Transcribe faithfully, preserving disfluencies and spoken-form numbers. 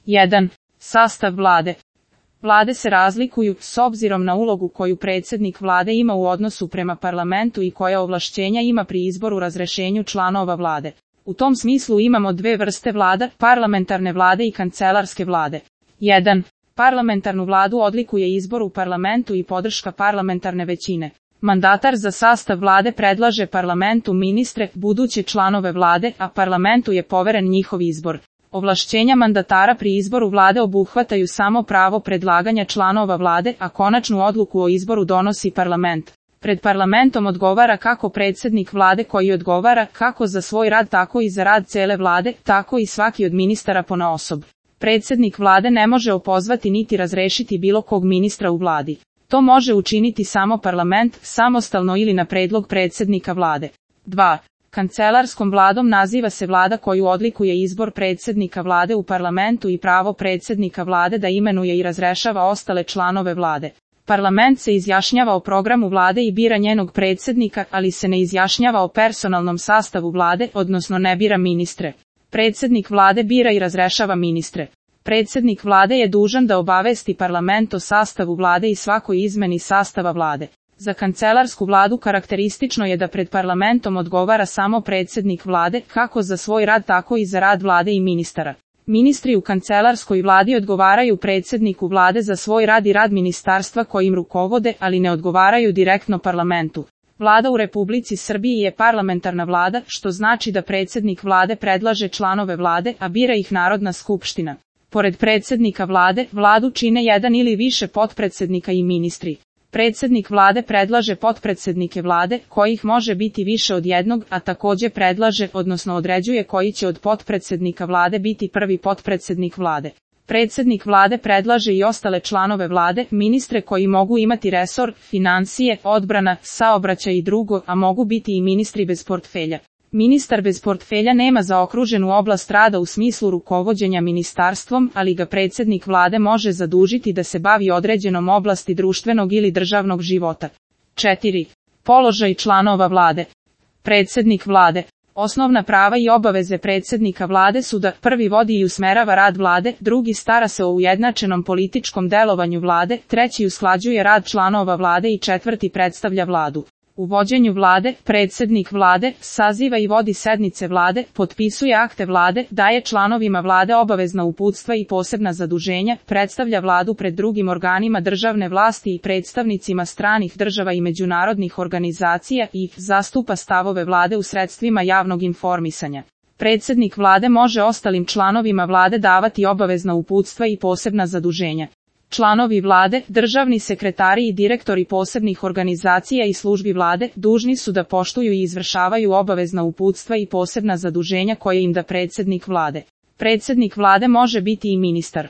jedan. Sastav vlade. Vlade se razlikuju s obzirom na ulogu koju predsjednik vlade ima u odnosu prema parlamentu i koja ovlašćenja ima pri izboru razrješenju članova vlade. U tom smislu imamo dve vrste vlada, parlamentarne vlade i kancelarske vlade. jedan. Parlamentarnu vladu odlikuje izbor u parlamentu i podrška parlamentarne većine. Mandatar za sastav vlade predlaže parlamentu ministre, buduće članove vlade, a parlamentu je poveren njihov izbor. Ovlašćenja mandatara pri izboru vlade obuhvataju samo pravo predlaganja članova vlade, a konačnu odluku o izboru donosi parlament. Pred parlamentom odgovara kako predsjednik vlade koji odgovara kako za svoj rad tako i za rad cele vlade, tako i svaki od ministara ponaosob. Predsjednik vlade ne može opozvati niti razrešiti bilo kog ministra u vladi. To može učiniti samo parlament, samostalno ili na predlog predsjednika vlade. dva. Kancelarskom vladom naziva se vlada koju odlikuje izbor predsjednika vlade u parlamentu i pravo predsjednika vlade da imenuje i razrešava ostale članove vlade. Parlament se izjašnjava o programu vlade i bira njenog predsjednika, ali se ne izjašnjava o personalnom sastavu vlade, odnosno ne bira ministre. Predsjednik vlade bira i razrešava ministre. Predsjednik vlade je dužan da obavesti parlament o sastavu vlade i svakoj izmeni sastava vlade. Za kancelarsku vladu karakteristično je da pred parlamentom odgovara samo predsjednik vlade, kako za svoj rad tako i za rad vlade i ministara. Ministri u kancelarskoj vladi odgovaraju predsjedniku vlade za svoj rad i rad ministarstva kojim rukovode, ali ne odgovaraju direktno parlamentu. Vlada u Republici Srbiji je parlamentarna vlada, što znači da predsjednik vlade predlaže članove vlade, a bira ih Narodna skupština. Pored predsjednika vlade, vladu čine jedan ili više potpredsjednika i ministri. Predsjednik vlade predlaže potpredsjednike vlade, kojih može biti više od jednog, a također predlaže, odnosno određuje koji će od potpredsjednika vlade biti prvi potpredsjednik vlade. Predsjednik vlade predlaže i ostale članove vlade, ministre koji mogu imati resor, financije, odbrana, saobraćaj i drugo, a mogu biti i ministri bez portfelja. Ministar bez portfelja nema zaokruženu oblast rada u smislu rukovođenja ministarstvom, ali ga predsjednik vlade može zadužiti da se bavi određenom oblasti društvenog ili državnog života. četiri. Položaj članova vlade. Predsjednik vlade. Osnovna prava i obaveze predsjednika vlade su da prvi vodi i usmerava rad vlade, drugi stara se o ujednačenom političkom delovanju vlade, treći usklađuje rad članova vlade i četvrti predstavlja vladu. U vođenju vlade, predsjednik vlade saziva i vodi sednice vlade, potpisuje akte vlade, daje članovima vlade obavezna uputstva i posebna zaduženja, predstavlja vladu pred drugim organima državne vlasti i predstavnicima stranih država i međunarodnih organizacija i zastupa stavove vlade u sredstvima javnog informisanja. Predsjednik vlade može ostalim članovima vlade davati obavezna uputstva i posebna zaduženja. Članovi vlade, državni sekretari i direktori posebnih organizacija i službi vlade dužni su da poštuju i izvršavaju obavezna uputstva i posebna zaduženja koje im da predsjednik vlade. Predsjednik vlade može biti i ministar.